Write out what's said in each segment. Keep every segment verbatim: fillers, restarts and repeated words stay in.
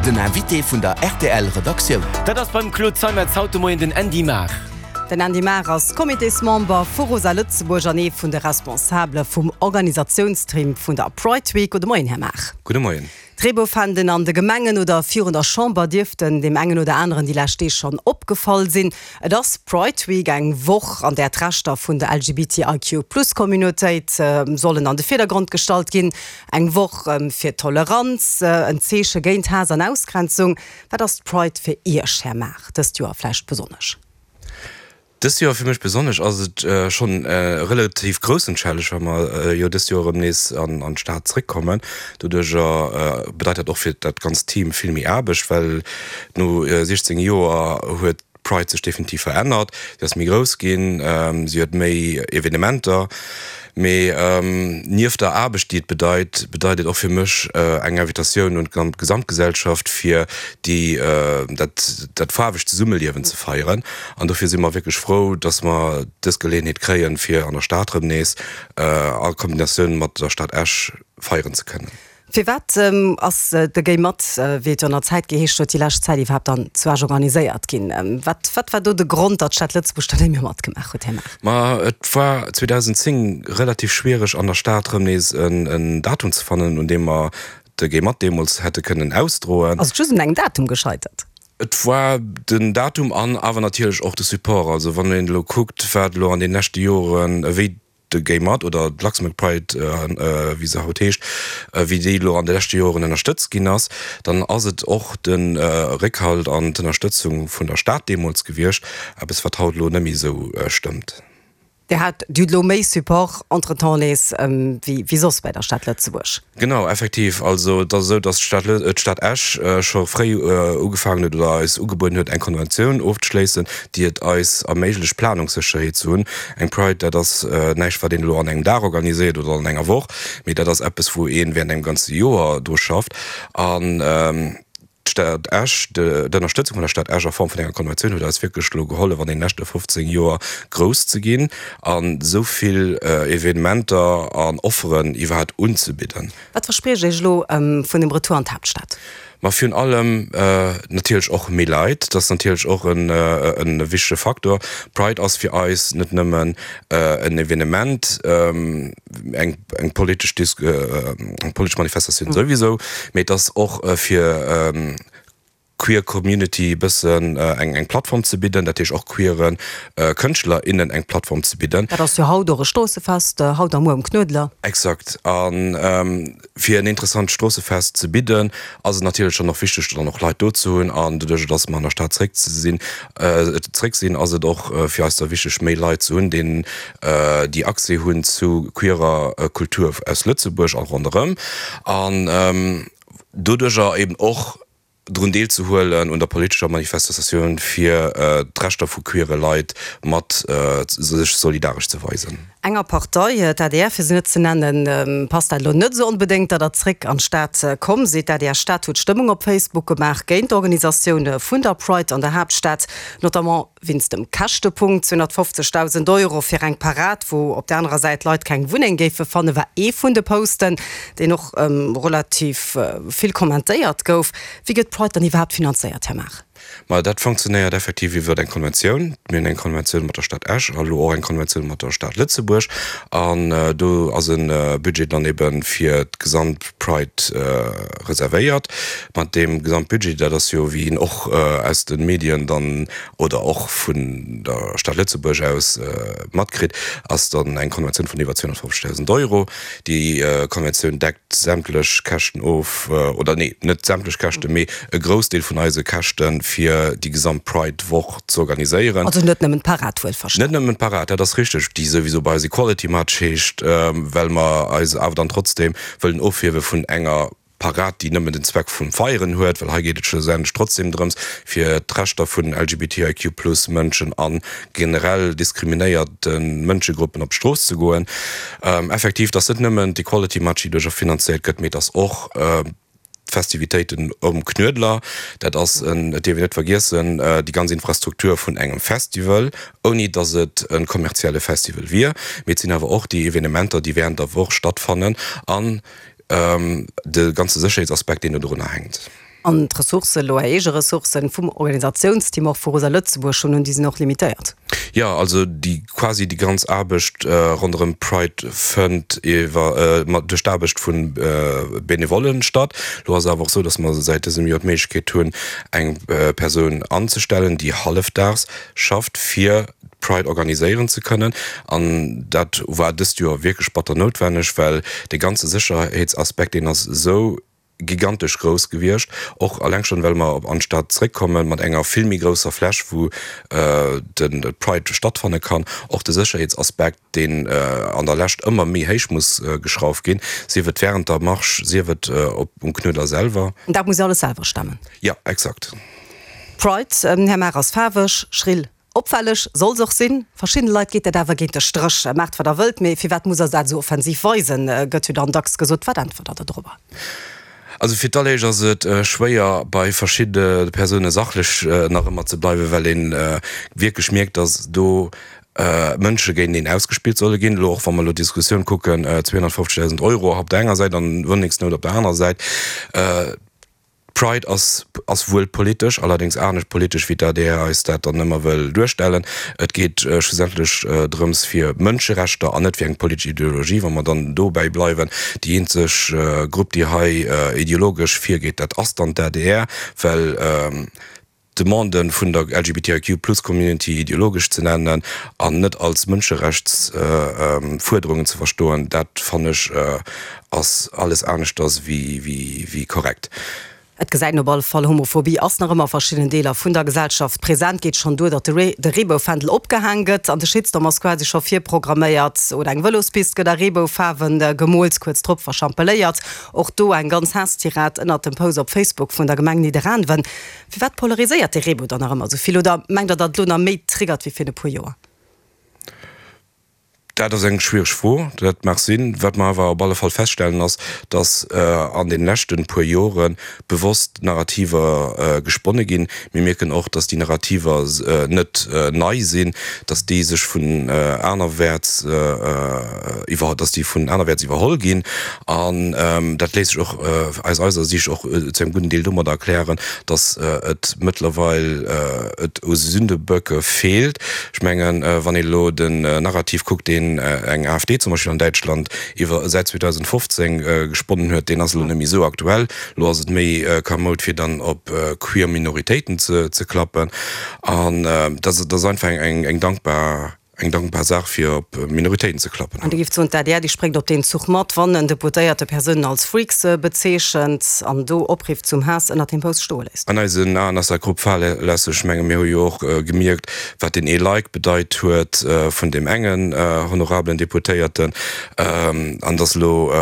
Den Invité vun der R T L Redaktioun. Dat ass beim Claude Zeimetz haut de Moien den Andy Maar. Den Andy Maar ass Comitésmember vu Rosa Lëtzebuerg an ee vun de Responsabele vum Organisatiounsteam vun der Pride Week. Gudde Moien, Här Maar. Gudde Moien. D'Reebouffänden an de Gemengen oder virun der Chamber dierften deem engen oder aneren déi lescht Deeg schonn opgefall sinn. Et ass Pride Week, eng Woch, an där d'Rechter vun der L G B T I Q Plus Communautéit sollen an de Virdergrond gestallt ginn. Eng Woch fir Toleranz, en Zeeche géint Haass an Ausgrenzung. Wat ass d'Pride fir Iech, Här Maar, dëst Joer vläicht besonnesch? Dëst Joer fir mech besonnesch ass et äh, schonn äh, relativ groussen Challenge, well mer äh, jo dëst Joer erëm nees an, an d'Stad zréckkommen. Doduerch äh, bedeit dat och fir dat ganzt Team vill méi Aarbecht, well no äh, sechzéng Joer huet Pride sech definitiv verännert. Si ass méi grouss ginn, ähm, si huet méi Evenementer. Mee ähm, nieft der Aarbecht, déi et bedeit, bedeit et och fir mech äh, eng Invitatioun un d'Gesamtgesellschaft fir déi äh, dat, dat faarwegt Zesummeliewen ze feieren. An dofir si mer wierklech frou, dass mer dës Geleeënheet kréien, fir an der Stad erëm nees äh, a Kombinatioun mat der Stad Esch feieren ze kënnen. Firwat ähm, ass äh, de Gay Mat, äh, wéi et jo an der Zäit geheescht huet, déi lescht Zäit iwwerhaapt dann zu Esch organiséiert ginn? Ähm, wat, wat war do de Grond, datt d'Stad Lëtzebuerg da net méi matgemaach huet, Här Maar? Ma et war zweedausendenzéng relativ schwiereg an der Stad erëm nees en, en Datum ze fannen, un deem mer de Gay Mat deemools hätte kënnen ausdroen. Ass et just un engem Datum gescheitert? Et war den Datum an awer natierlech och de Support. Also wann een elo kuckt, wat elo an de leschte Joren, wéi de Gay Mat oder d'Luxembourg Pride, äh, wéi se haut heescht, äh, wéi déi elo an de leschte Joren ënnerstëtzt ginn ass, dann ass et och den äh, Réckhalt an d'Ënnerstëtzung vun der Stad deemools gewiescht, eppes wat haut elo net méi sou äh, stëmmt. Dir hat du lo méi Support entretemps nees ähm, wéi, wéi soss bei der Stad Lëtzebuerg. Genau, effektiv. Also dat ass sou, dass d'Stad Lë- d'Stad Esch äh, scho fréi äh, ugefaangen huet oder eis ugebueden huet, eng Konventioun ofzeschléissen, déi et eis erméiglecht, Planungssécherheet ze hunn. Eng Pride, dat ass äh, näischt, wat een elo an engem Dag organiséiert oder an enger Woch, mee dat ass eppes, wou ee wärend engem ganze Joer dru schafft. An ähm, d'Stad Esch, d'Ënnerstëtzung vun der Stad Esch a Form vun enger Konventioun huet eis wierklech elo gehollef, an den leschte fofzéng Joer grouss ze ginn an esou vill äh, Evenementer an Offeren iwwerhaapt unzebidden. Wat verspriecht Dir iech elo ähm, vun dem Retour an d'Haaptstad? Ma virun allem äh, natierlech och méi Leit, dat ass natierlech och en, äh, en wichtege Faktor. Pride ass fir eis net nëmmen äh, en Evenement, ähm, eng, eng politesch Dis äh, eng politesch Manifestatioun mm. souwisou, mee dat ass och äh, fir ähm, queer Community bëssen äh, eng eng Plattform ze bidden, dat heescht och queeren äh, Kënschtler innen eng Plattform ze bidden. Dat ass jo haut och e Stroossefest, äh, haut a muer um Knuedler. Exakt. An ähm, fir en interessant Stroossefest ze bidden, ass et natierlech schonn och wichteg, dann och Leit do ze hunn, an doduerch, dass mer an der Stad zréck ze sinn, äh, zréck sinn, ass et och äh, fir eis da wichteg, méi Leit ze hunn, déi äh, déi Accès hunn zu queerer äh, Kultur aus Lëtzebuerg a ronderëm. An ähm, doduerch eben och drun deelzehuelen un der politescher Manifestatioun fir äh, d'Rechter vu queere Leit mat äh, sech solidaresch ze weisen. Enger Partei, d'A D R fir se net ze nennen, ähm, passt dat elo net sou onbedéngt, datt der zréck an d'Stad äh, komm sidd. D'A D R Stad huet Stëmmung op Facebook gemaach géint d'Organisatioun vun der Pride an der Haaptstad, notamment wéinst dem Käschtepunkt. zweehonnertfofzegdausend Euro fir eng Parad, wou op der anerer Säit Leit keng Wunneng géife fannen, war ee vun de Posten, deen och ähm, relativ äh, vill kommentéiert gouf. Wéi gëtt d'Pride dann iwwerhaapt finanzéiert, Här Maar? Ma dat funktionéiert effektiv iwwer eng Konventioun. Mir hunn eng Konventioun mat der Stad Esch a lo och eng Konventioun mat der Stad Lëtzebuerg. An äh, do ass e äh, Budget dann eben fir d'gesamt Pride äh, reservéiert. Mat deem Gesamtbudget, dat ass jo wéi een och äh, aus de Medien dann oder och vun der Stad Lëtzebuerg aus äh, matkritt, ass dann eng Konventioun vun iwwer zweehonnertfofzegdausend Euro. Déi äh, Konventioun deckt sämtlech Käschten of, äh, oder nee, net sämtlech Käschten, mee e Groussdeel vun eise Käschten fir déi gesamt Pride-Woch ze organiséieren. Also net nëmmen d'Parad wuelverstanen. Net nëmmen d'Parad, dat ass richteg, déi souwisou bei eis Equality March heescht, ähm, well mer eis awer dann trotzdem wëllen ofhiewe vun enger Parad, déi nëmmen den Zweck vum Feieren huet, well hei geet et schlussendlech trotzdem drëms, fir d'Rechter vun L G B T I Q plus Mënschen an generell diskriminéierte Mënschegruppen op d'Strooss ze goen. Ähm, effektiv, dat ass net nëmmen d'Equality March, déi doduerch finanzéiert gëtt, mee dat ass och äh, d'Festivitéiten um Knuedler, dat ass en, dat dierf een net vergiessen, äh, déi ganz Infrastruktur vun engem Festival, ouni dass et e kommerzielle Festival wier. Mee et sinn awer och déi Evenementer, déi wärend der Woch stattfannen an ähm, de ganze Sécherheetsaspekt, deen do drunner hänkt. An d'Ressourcen, elo Är eege Ressourcen vum Organisatiounsteam och vu Rosa Lëtzebuerg schonn hunn, déi sinn och limitéiert. Jo, also déi quasi déi ganz Aarbecht ronderëm Pride fënnt iwwer duerch d'Aarbecht vu Benevollen statt. Lo ass et awer och esou, datt mer säit dësem Joer d'Méiglechkeet hunn, eng Persoun anzestellen, déi hallefdaags schafft, fir d'Pride organiséieren ze kënnen. An dat war dëst Joer wierklech batter noutwenneg, well dee ganze Sécherheetsaspekt, deen ass esou gigantesch grouss gewiescht, och alleng schonn, well mer an d'Stad zréckkomme mat enger vill méi grousser Fläch, wou de Pride stattfanne kann. Och de Sécherheetsaspekt, deen an der Lescht ëmmer méi héich muss geschrauft ginn, sief et wärend der Marsch, sief et um Knuedler selwer. Dat muss Dir alles selwer stemmen? Jo, exakt. Pride, Här Mach, ass faarweg, schrill, Opfälleg soll se och sinn. Verschiddene Leit geet dat awer géint de Stréch. Maacht wat der wëllt, mee firwat muss der dat esou offensiv weisen, gëtt jo dann dacks gesot. Wat äntwert der dodrobber? Also fir d'alleréischt ass et schwéier bei verschidde Persoune sachlech nach ëmmer ze bleiwen, well ee wierklech mierkt, datt do Mënsche géint een ausgespillt solle ginn. Elo och wa mer elo d'Diskussioun kucken, zweehonnertfofzegdausend Euro op der enger Säit an Wunnengsnout op der anerer Säit. D'Pride ass ass wuel politesch, allerdéngs anescht politesch wéi d'ADR eis dat dann ëmmer wëll duerstellen. Et geet schlussendlech drëms fir Mënscherechter an net fir eng politesch Ideologie. Wa mer dann dobäi bleiwen, déi eenzeg Grupp déi hei ideologesch virgeet, dat ass dann d'ADR, well d'Demande vun der L G B T I Q plus Community ideologesch ze nennen an net als Mënscherechtsfuerderungen ze verstoen, dat fannen ech ass alles aneschters wéi korrekt. Et gesäit een op alle Fall, Homophobie ass nach ëmmer a verschiddenen Deeler vun der Gesellschaft present. Geet schonn duer, datt de Reebou-Fändel opgehaang gëtt an de Shitstorm ass quasi scho virprogramméiert. Oder eng Vëlospist gëtt a Reebou-Faarwen gemoolt, kuerz drop verschampeléiert. Och do eng ganz Haasstirad ënnert dem Post op Facebook vun der Gemeng Nidderaanwen. Firwat polariséiert de Reebou dann nach ëmmer esou vill? Oder mengt Der, datt et elo nach méi triggert wéi virun e puer Joer? Dat ass eng schwiereg Fro, dat mag sinn. Wat mer awer op alle Fall feststellen ass, datt an de leschte puer Jore bewosst Narrativer gesponne ginn. Mir mierken och, datt déi Narrativer net nei sinn, datt déi sech vun anerwäerts iwwer, datt déi vun anerwäerts iwwerholl ginn. An dat léisst sech och aus eiser Siicht och zu engem gudden Deel domadder erklären, datt et mëttlerweil et u Sündeböcke feelt. Ech mengen, wann een elo den Narrativ kuckt, deen eng A F D zum Beispill an Däitschland iwwer säit zweedausendfofzéng gesponnen huet, deen ass elo net méi esou aktuell. Elo ass et méi kamoud, fir dann op queer Minoritéiten ze klappen. An dat ass einfach eng dankbar eng dankbar Saach, fir op Minoritéiten ze klappen. An Dir géift soen, d'A D R, déi spréngt op deen Zuch mat, wann en Deputéierte Persounen als Freaks bezeechent an do Opriff zum Haass ënnert deem Post stoe léisst? An eisen Aen ass dat grob fahrlässeg. Ech menge mir hu jo och gemierkt, wat deen ee Like bedeit huet vun deem engen honorabelen Deputéierten, an dass elo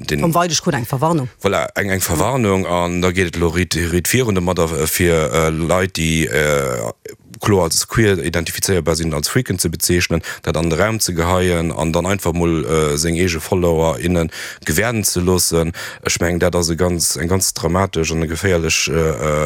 deen. Tom Weidig krut eng Verwarnung. Voilà, eng eng Verwarnung, an da geet et elo riit riit virun domadder, fir Leit, déi kloer als queer identifizéierbar sinn, als Freaken ze bezeechnen, dat an de Raum ze geheien an dann einfach mol seng eege Follower, innen gewäerden ze loossen. Ech mengen, dat ass e ganz, eng ganz dramatesch an e geféierlech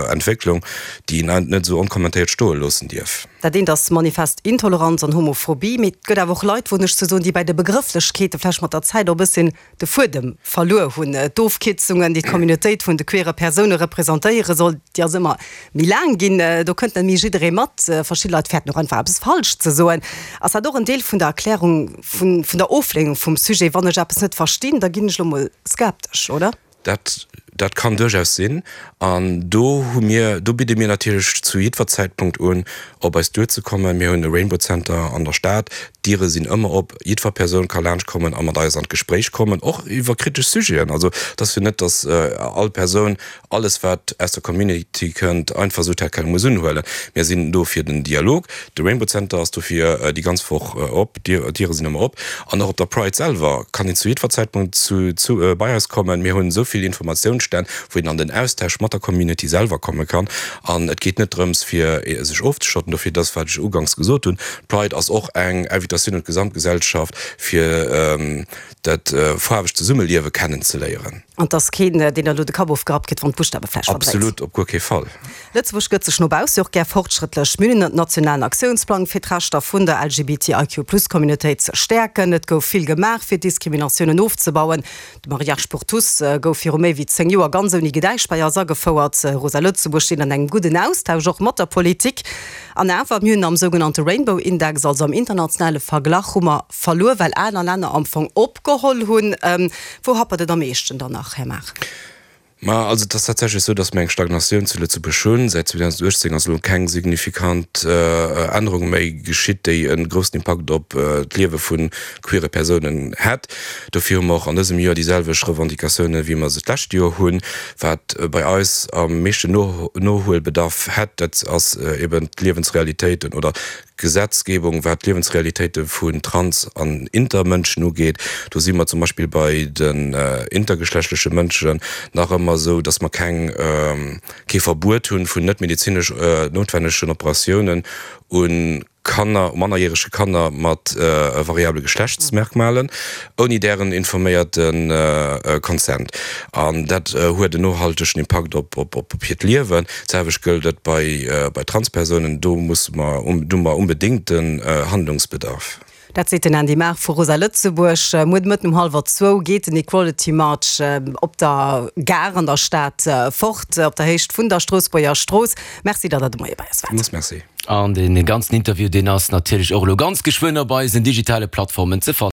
Entwécklung, déi een net esou onkommentéiert stoe loossen dierf. Dat eent ass manifest Intoleranz an Homophobie, mee et gëtt awer och Leit, woen ech ze soen, déi bei de Begrëfflechkeete vläicht mat der Zäit och e bësschen de Fuedem verluer hunn. D'Ofkierzungen, déi d'Communautéit vun de queere Persoune representéiere soll, déi ass ëmmer méi laang ginn. Do kënnt net méi jidderee mat. Verschidde Leit fäerten och einfach eppes falsch ze soen. Ass dat och en Deel vun der Erklärung vun der Oflehnung vum Sujet? Wann ech eppes net verstinn, da ginn ech elo mol skeptesch, oder? Dat, dat kann duerchaus sinn. An do hu mir, do bidde mir natierlech zu jiddwer Zäitpunkt un, op eis duerzekommen. Mir hunn e Rainbow Center an der Stad. D'Diere sinn ëmmer op. Jiddwer Persoun ka laanschtkommen a mat eis an d'Gespréich kommen, och iwwer kritesch Sujeten. Also, et ass jo net, datt all Persoun alles, wat aus der Community kënnt, einfach esou tel quel muss unhuelen. Mir sinn do fir den Dialog. De Rainbow Center ass dofir déi ganz Woch op. D'Diere sinn ëmmer op. An och op der Pride selwer kann een zu jiddwer Zäitpunkt zu, zu, bei eis kommen. Mir hunn esou vill Informatiounsstänn, wou een an den Austausch mat der Community selwer komme kann. An et geet net drëms, fir sech ofzeschotten. Dofir, dat, wat ech uganks gesot hunn, d'Pride ass och eng Invitatioun, Invitatioun un d'Gesamtgesellschaft, fir dat faarwegt Zesummeliewe kennenzeléieren. An 't ass keen, deen der elo de Kapp ofgerappt kritt, wann d'Buschtawe vläicht verdréit. Absolut, op guer kee Fall. Lëtzebuerg gëtt sech no bausse jo och gär fortschrëttlech. Mir hunn en nationalen Aktiounsplang, fir d'Rechter vun der LGBTIQ-Plus-Communautéit ze stäerken. Et gouf vill gemaach, fir Diskriminatiounen ofzebauen. De Mariage pour tous gouf viru méi wéi zéng Joer ganz ouni Gedäisch bei eis agefouert. Rosa Lëtzebuerg steet an engem gudden Austausch och mat der Politik. An awer, mir hunn am sougenannte Rainbow Index, also am internationale Verglach, hu mer verluer, well aner Länner am Fong opgeholl hunn. Wou happert et am meeschten dann nach, Här Mach? Ma also et ass tatsächlech esou, datt mer eng Stagnatioun zu Lëtzebuerg hunn. Säit zweetausenduechtzéng ass elo keng signifikant Ännerung méi geschitt, déi e groussen Impakt op d'Liewe vu queere Persounen hätt. Dofir hu mer och an dësem Joer déi selwecht Revendicatiounen, wéi mer se d'lescht Joer hunn. Wat bei eis am meeschten Nohuelbedarf hätt, dat ass eben d'Liewensrealitéiten oder d'Gesetzgebung, wat d'Liewensrealitéite vun Trans an Intermënschen ugeet. Do si mer zum Beispill bei den intergeschlechtleche Mënschen nach ëmmer esou, dass mer keng, kee Verbuet hunn vun net medezinesch noutwennegen Operatiounen u Kanner, mannerjärege Kanner mat variabele Geschlechtsmerkmalen, ouni dären informéierte Consent. An dat huet en nohaltegen Impakt op hiert Liewen. D'selwecht gëllt et bei Transpersounen. Do musse mer, do hu mer onbedéngten Handlungsbedarf. Dat seet den Andy Maar vu Rosa Lëtzebuerg. Muer de Mëtten um hallwer zwou geet den Equality March op der Gare an der Stad fort, op der Héicht vun der Stroossbuerger Strooss. Merci, datt Der de Moie bei eis waart. Villmools Merci. An dee ganzen Interview, deen ass natierlech och elo ganz geschwënn op eisen digitale Plattformen ze fannen.